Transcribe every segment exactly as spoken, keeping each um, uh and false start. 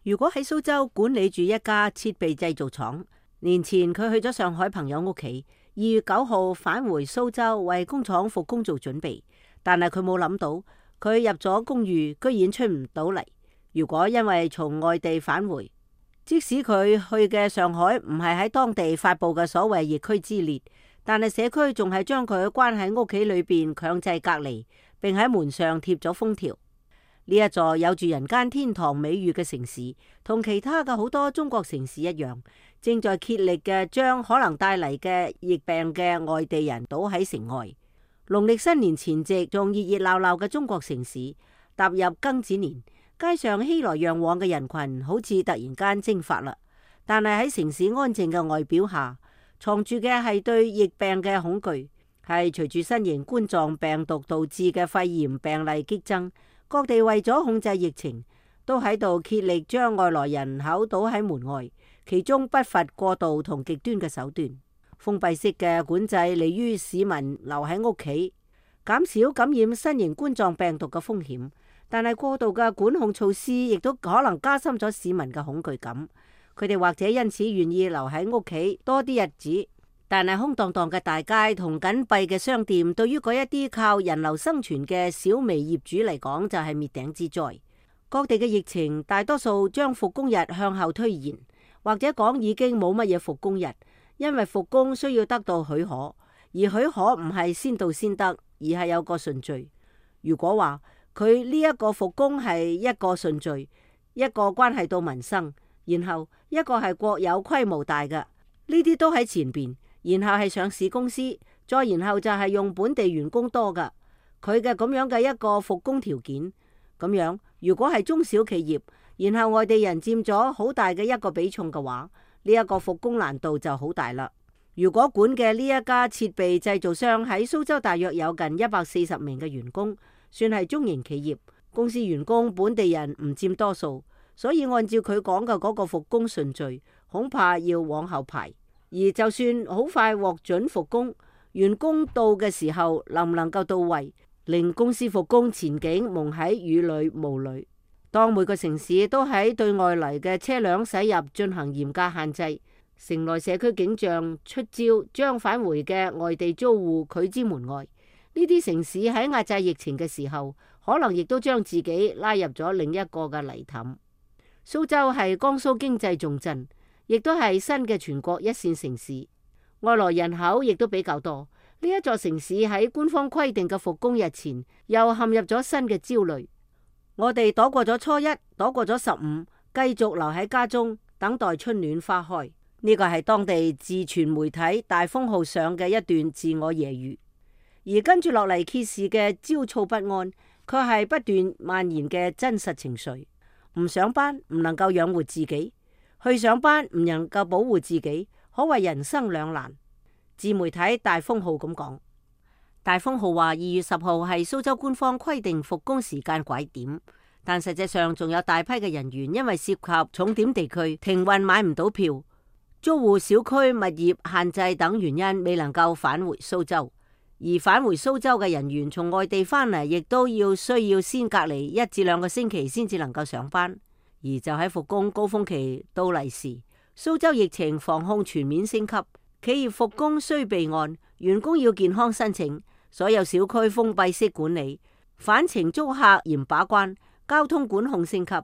如果喺蘇州管理住一家設備製造廠，年前佢去咗上海朋友屋企，二月九號返回蘇州為工廠復工做準備，但係佢冇諗到，佢入咗公寓居然出唔到嚟。如果因為從外地返回，即使佢去嘅上海唔係喺當地發佈嘅所謂疫區之列，但係社區仲係將佢關喺屋企裏邊強制隔離，並喺門上貼咗封條。呢一座有住人間天堂美譽嘅城市，同其他嘅好多中國城市一樣，正在竭力嘅將可能帶嚟嘅疫病嘅外地人堵喺城外。農曆新年前夕，仲熱熱鬧鬧嘅中國城市踏入庚子年，街上熙來攘往嘅人群好似突然間蒸發啦。但係喺城市安靜嘅外表下，藏住嘅係對疫病嘅恐懼，係隨住新型冠狀病毒導致嘅肺炎病例激增。各地為咗控制疫情，都喺度竭力將外來人口堵喺門外，其中不乏過度同極端嘅手段。封閉式嘅管制利於市民留喺屋企，減少感染新型冠狀病毒嘅風險。但係過度嘅管控措施亦都可能加深咗市民嘅恐懼感，佢哋或者因此願意留喺屋企多啲日子。但係空蕩蕩嘅大街同緊閉嘅商店，對於嗰一啲靠人流生存嘅小微業主嚟講，就係滅頂之災。各地嘅疫情大多數將復工日向後推延，或者講已經冇乜嘢復工日，因為復工需要得到許可，而許可唔係先到先得，而係有個順序。如果話佢呢一個復工係一個順序，一個關係到民生，然後一個係國有規模大嘅，呢啲都喺前邊。然後係上市公司，再然後就係用本地員工多噶，佢嘅咁樣嘅一個復工條件。咁樣如果係中小企業，然後外地人佔咗好大嘅一個比重嘅話，呢一個復工難度就好大啦。如果管嘅呢一家設備製造商喺蘇州大約有近一百四十名嘅員工，算係中型企業，公司員工本地人唔佔多數，所以按照佢講嘅嗰個復工順序，恐怕要往後排。而就算好快獲准復工，員工到嘅時候能唔能夠到位，令公司復工前景蒙喺雨裏霧裏。當每個城市都喺對外嚟嘅車輛駛入進行嚴格限制，城內社區警障出招，將返回嘅外地租戶拒之門外。呢啲城市喺壓制疫情嘅時候，可能亦都將自己拉入咗另一個嘅泥凼。蘇州係江蘇經濟重鎮，亦都係新嘅全國一線城市，外來人口亦都比較多。呢一座城市喺官方規定嘅復工日前，又陷入咗新嘅焦慮。我哋躲過咗初一，躲過咗十五，繼續留喺家中等待春暖花開。呢個係當地自傳媒體大風號上嘅一段自我揶揄。而跟住落嚟揭示嘅焦躁不安，卻係不斷蔓延嘅真實情緒。唔上班唔能夠養活自己，去上班唔能夠保護自己，可謂人生兩難。自媒體大風號咁講。大風號話二月十號係蘇州官方規定復工時間拐點，但實際上仲有大批嘅人員因為涉及重點地區停運買唔到票，租戶小區物業限制等原因未能夠返回蘇州。而返回蘇州嘅人員從外地返嚟，亦都要需要先隔離一至兩個星期先至能夠上班。而就喺復工高峰期到嚟時，蘇州疫情防控全面升級，企業復工需備案，員工要健康申請，所有小區封閉式管理，返程租客嚴把關，交通管控升級。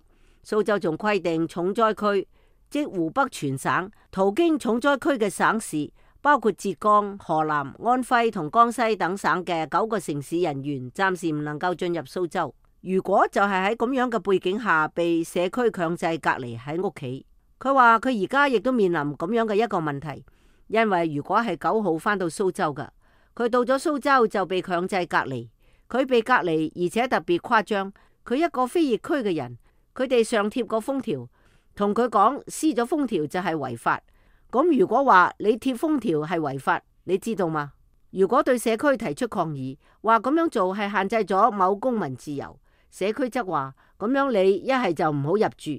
蘇州仲規定重災區，即湖北全省途經重災區嘅省市，包括浙江、河南、安徽同江西等省嘅九個城市人員暫時唔能夠進入蘇州。如果就係喺咁樣嘅背景下被社區強制隔離喺屋企，佢話佢而家亦都面臨咁樣嘅一個問題，因為如果係九號返到蘇州㗎，佢到咗蘇州就被強制隔離，佢被隔離而且特別誇張，佢一個非疫區嘅人，佢哋上貼個封條，同佢講撕咗封條就係違法。咁如果話你貼封條係違法，你知道嗎？如果對社區提出抗議，話咁樣做係限制咗某公民自由，社區則話咁樣你一係就唔好入住。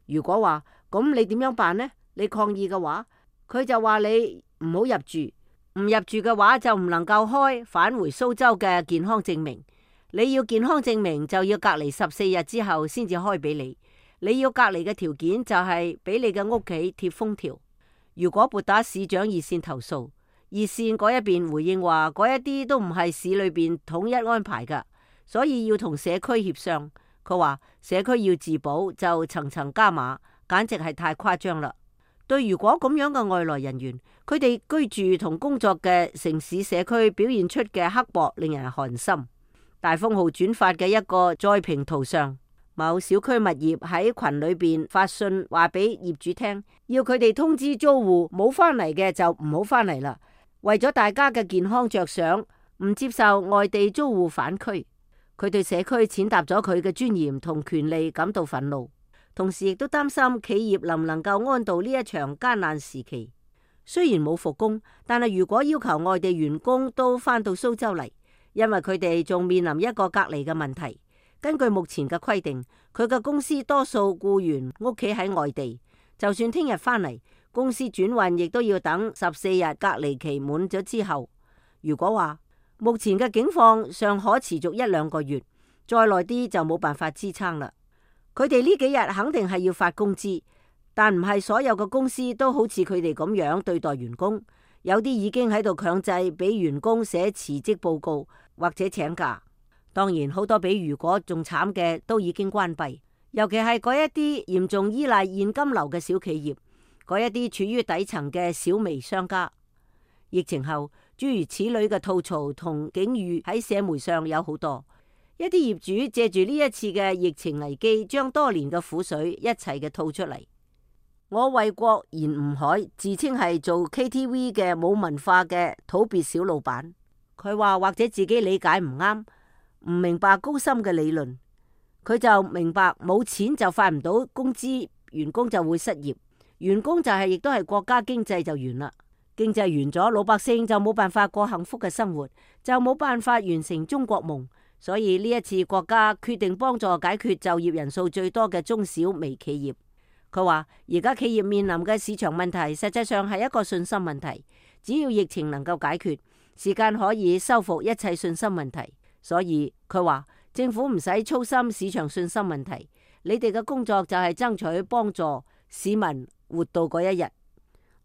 如果話咁你點樣辦呢？你抗議嘅話，佢就話你唔好入住，唔入住嘅話就唔能夠開返回蘇州嘅健康證明。你要健康證明就要隔離十四日之後先至開俾你。你要隔離嘅條件就係俾你嘅屋企貼封條。如果撥打市長熱線投訴，熱線嗰一邊回應話嗰一啲都唔係市裏邊統一安排噶，所以要同社區協商。佢話社區要自保就層層加碼，簡直係太誇張啦。對如果咁樣嘅外來人員，佢哋居住同工作嘅城市社區表現出嘅刻薄，令人寒心。大風號轉發嘅一個再評圖上，某小區物業喺群裏邊發信話俾業主聽，要佢哋通知租戶冇返嚟嘅就唔好返嚟啦。為咗大家嘅健康着想，唔接受外地租戶返區。佢對社區踐踏咗佢嘅尊嚴同權利感到憤怒，同時亦都擔心企業能唔能夠安度呢一場艱難時期。雖然冇復工，但係如果要求外地員工都返到蘇州嚟，因為佢哋仲面臨一個隔離嘅問題。根據目前嘅規定，佢嘅公司多數僱員屋企喺外地，就算聽日返嚟，公司轉運亦都要等十四日隔離期滿咗之後。如果話目前嘅境況尚可持續一兩個月，再耐啲就冇辦法支撐啦。佢哋呢幾日肯定係要發工資，但唔係所有嘅公司都好似佢哋咁樣對待員工，有啲已經喺度強制俾員工寫辭職報告或者請假。當然，好多比如果仲慘嘅都已經關閉，尤其係嗰一啲嚴重依賴現金流嘅小企業，嗰一啲處於底層嘅小微商家。疫情後，諸如此類嘅吐槽同境遇喺社媒上有好多。一啲業主借住呢一次嘅疫情危機，將多年嘅苦水一齊嘅吐出嚟。我為國言吳海自稱係做 K T V 嘅冇文化嘅土鳖小老闆，佢話或者自己理解唔啱。唔明白高深嘅理論，佢就明白冇錢就發唔到工資，員工就會失業，員工就係亦都係國家經濟就完啦。經濟完咗，老百姓就冇辦法過幸福嘅生活，就冇辦法完成中國夢。所以呢一次國家決定幫助解決就業人數最多嘅中小微企業。佢話而家企業面臨嘅市場問題，實際上係一個信心問題。只要疫情能夠解決，時間可以修復一切信心問題。所以佢話政府唔使操心市場信心問題，你哋嘅工作就係爭取幫助市民活到嗰一日。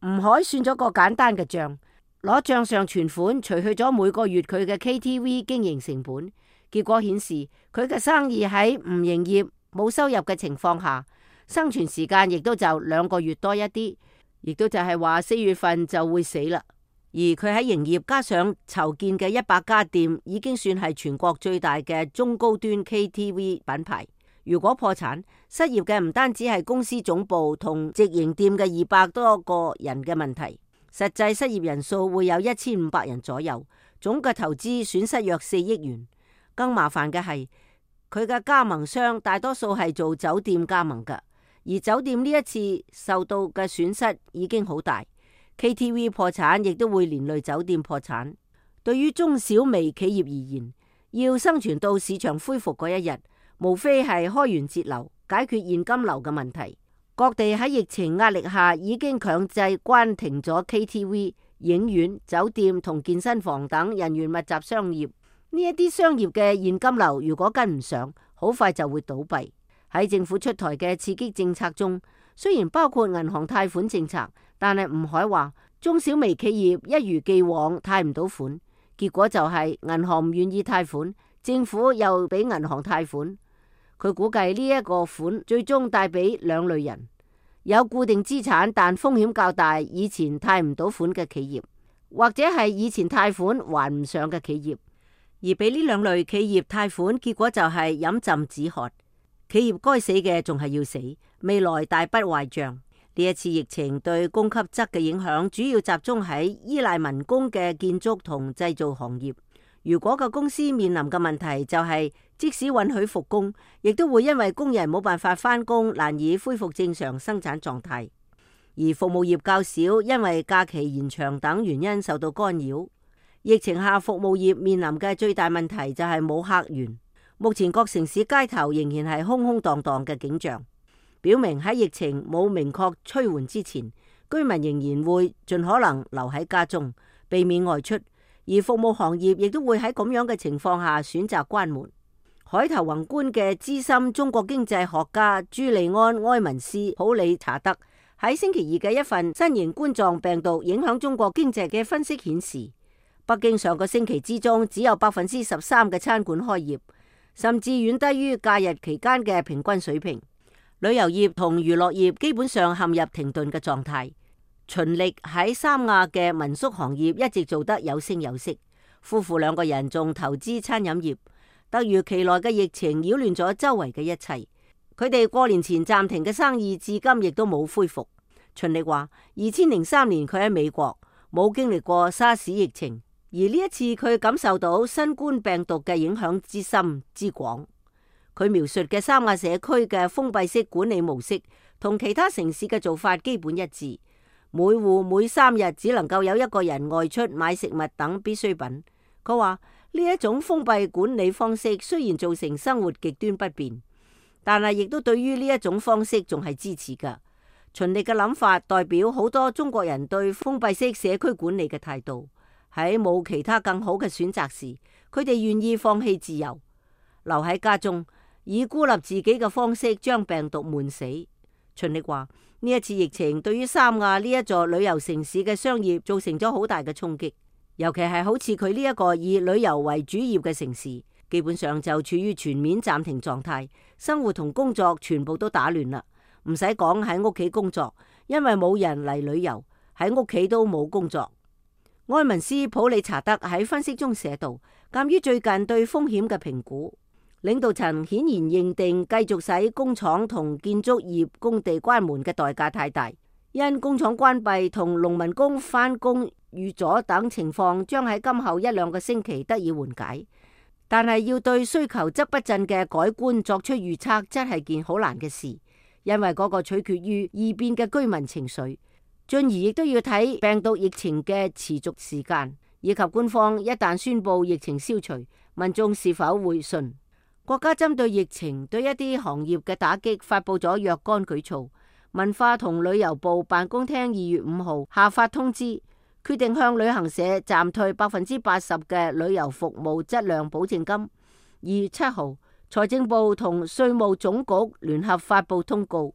吳海算咗個簡單嘅賬，攞賬上存款除去咗每個月佢嘅 K T V 經營成本，結果顯示佢嘅生意喺唔營業冇收入嘅情況下，生存時間亦都就兩個月多一啲，亦都就係話四月份就會死啦。而佢喺營業加上籌建嘅一百家店，已經算係全國最大嘅中高端 K T V 品牌。如果破產，失業嘅唔單止係公司總部同直營店嘅二百多個人嘅問題，實際失業人數會有一千五百人左右，總嘅投資損失約四億元。更麻煩嘅係佢嘅加盟商大多數係做酒店加盟㗎，而酒店呢一次受到嘅損失已經好大。K T V 破產亦都會連累酒店破產。對於中小微企業而言，要生存到市場恢復嗰一日，無非係開源節流，解決現金流嘅問題。各地喺疫情壓力下已經強制關停咗 K T V、影院、酒店同健身房等人員密集商業。呢一啲商業嘅現金流如果跟唔上，好快就會倒閉。喺政府出台嘅刺激政策中，雖然包括銀行貸款政策，但係吳海話中小微企業一如既往貸唔到款，結果就係銀行唔願意貸款，政府又俾銀行貸款。佢估計呢一個款最終帶俾兩類人：有固定資產但風險較大，以前貸唔到款嘅企業，或者係以前貸款還唔上嘅企業。而俾呢兩類企業貸款，結果就係飲鴆止渴。企業該死嘅仲係要死，未來大筆壞賬。呢一次疫情對供給側嘅影響，主要集中喺依賴民工嘅建築同製造行業。如果個公司面臨嘅問題就係，即使允許復工，亦都會因為工人冇辦法返工，難以恢復正常生產狀態。而服務業較少，因為假期延長等原因受到干擾。疫情下服務業面臨嘅最大問題就係冇客源。目前各城市街頭仍然係空空蕩蕩嘅景象，表明喺疫情冇明確趨緩之前，居民仍然會盡可能留喺家中，避免外出。而服務行業亦都會喺咁樣嘅情況下選擇關門。海頭宏觀嘅資深中國經濟學家朱利安·埃文斯普里查德喺星期二嘅一份新型冠狀病毒影響中國經濟嘅分析顯示，北京上個星期之中只有百分之十三嘅餐館開業，甚至遠低於假日期間嘅平均水平。旅遊業同娛樂業基本上陷入停頓嘅狀態。秦力喺三亞嘅民宿行業一直做得有聲有色，夫婦兩個人仲投資餐飲業。突如其來嘅疫情擾亂咗周圍嘅一切，佢哋過年前暫停嘅生意至今亦都冇恢復。秦力話：二千零三年佢喺美國冇經歷過沙士疫情，而呢一次佢感受到新冠病毒嘅影響之深之廣。佢描述嘅三亞社區嘅封閉式管理模式同其他城市嘅做法基本一致，每戶每三日只能夠有一個人外出買食物等必需品。佢話：呢一種封閉管理方式雖然造成生活極端不便，但係亦都對於呢一種方式仲係支持㗎。秦力嘅諗法代表好多中國人對封閉式社區管理嘅態度。喺冇其他更好嘅選擇時，佢哋願意放棄自由，留喺家中，以孤立自己嘅方式將病毒悶死。秦力話：呢一次疫情對於三亞呢一座旅遊城市嘅商業造成咗好大嘅衝擊。尤其係好似佢呢一個以旅遊為主業嘅城市，基本上就處於全面暫停狀態，生活同工作全部都打亂啦。唔使講喺屋企工作，因為冇人嚟旅遊，喺屋企都冇工作。埃文斯普里查德喺分析中寫道：鑒於最近對風險嘅評估，領導層顯然認定繼續使工廠同建築業工地關門嘅代價太大，因工廠關閉同農民工返工遇阻等情況將喺今後一兩個星期得以緩解，但係要對需求則不振嘅改觀作出預測，真係件好難嘅事，因為嗰個取決於異變嘅居民情緒，進而亦都要睇病毒疫情嘅持續時間，以及官方一旦宣布疫情消除，民眾是否會信。國家針對疫情對一啲行業嘅打擊發布咗若干舉措，文化同旅遊部辦公廳二月五號下發通知，決定向旅行社暫退百分之八十嘅旅遊服務質量保證金。二月七號，財政部同稅務總局聯合發布通告，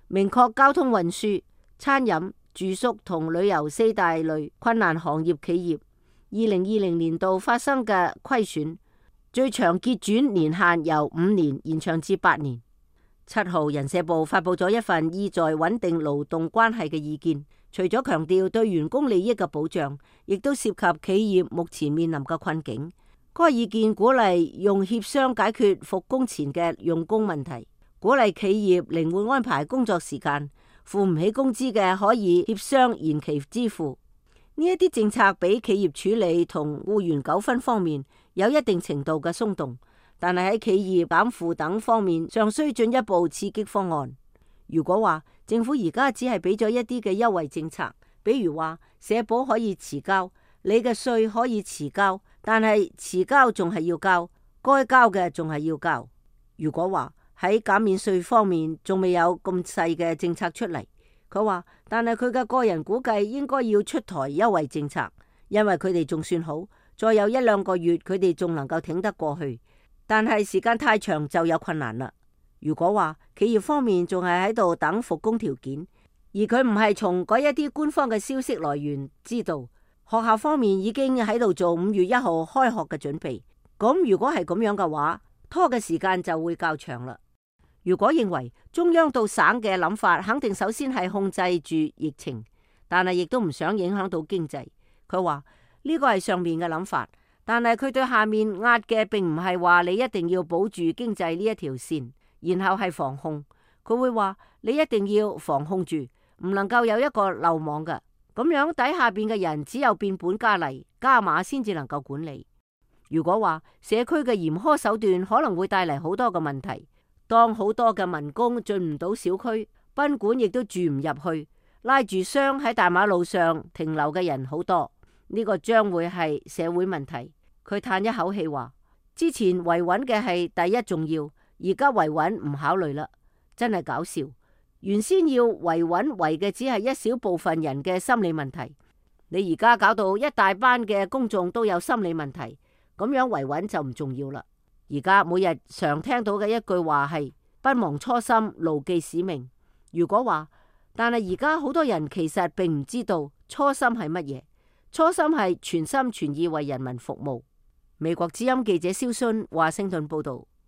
明確交通運輸、餐飲、住宿同旅遊四大類困難行業企業二零二零年度發生嘅虧損，最長結轉年限由五年延長至八年。七號，人社部發布咗一份意在穩定勞動關係嘅意見，除咗強調對員工利益嘅保障，亦都涉及企業目前面臨嘅困境。該意見鼓勵用協商解決復工前嘅用工問題，鼓勵企業靈活安排工作時間，付唔起工資嘅可以協商延期支付。呢一啲政策俾企業處理同僱員糾紛方面有一定程度嘅鬆動，但係喺企業減負等方面尚需進一步刺激方案。如果話政府而家只係俾咗一啲嘅優惠政策，比如話社保可以遲交，你嘅稅可以遲交，但係遲交仲係要交，該交嘅仲係要交。如果話喺減免稅方面仲未有咁細嘅政策出嚟，佢話，但係佢嘅個人估計應該要出台優惠政策，因為佢哋仲算好，再有一兩個月佢哋仲能夠挺得過去，但係時間太長就有困難啦。如果話企業方面仲係喺度等復工條件，而佢唔係從嗰一啲官方嘅消息來源知道，學校方面已經喺度做五月一號開學嘅準備，咁如果係咁樣嘅話，拖嘅時間就會較長啦。如果認為中央到省嘅諗法，肯定首先係控制住疫情，但係亦都唔想影響到經濟。佢話呢個係上面嘅諗法，但係佢對下面壓嘅並唔係話你一定要保住經濟呢一條線，然後係防控。佢會話你一定要防控住，唔能夠有一個漏網嘅。咁樣底下邊嘅人只有變本加厲加碼先至能夠管理。如果話社區嘅嚴苛手段可能會帶嚟好多嘅問題。當好多嘅民工進唔到小區，賓館亦都住唔入去，拉住箱喺大馬路上停留嘅人好多，呢個將會係社會問題。佢嘆一口氣話：之前維穩嘅係第一重要，而家維穩唔考慮啦，真係搞笑。原先要維穩維嘅只係一小部分人嘅心理問題，你而家搞到一大班嘅公眾都有心理問題，咁樣維穩就唔重要啦。而家每日常聽到嘅一句話係不忘初心，牢記使命。如果話，但係而家好多人其實並唔知道初心係乜嘢。初心係全心全意為人民服務。美國之音記者蕭순華盛頓報道。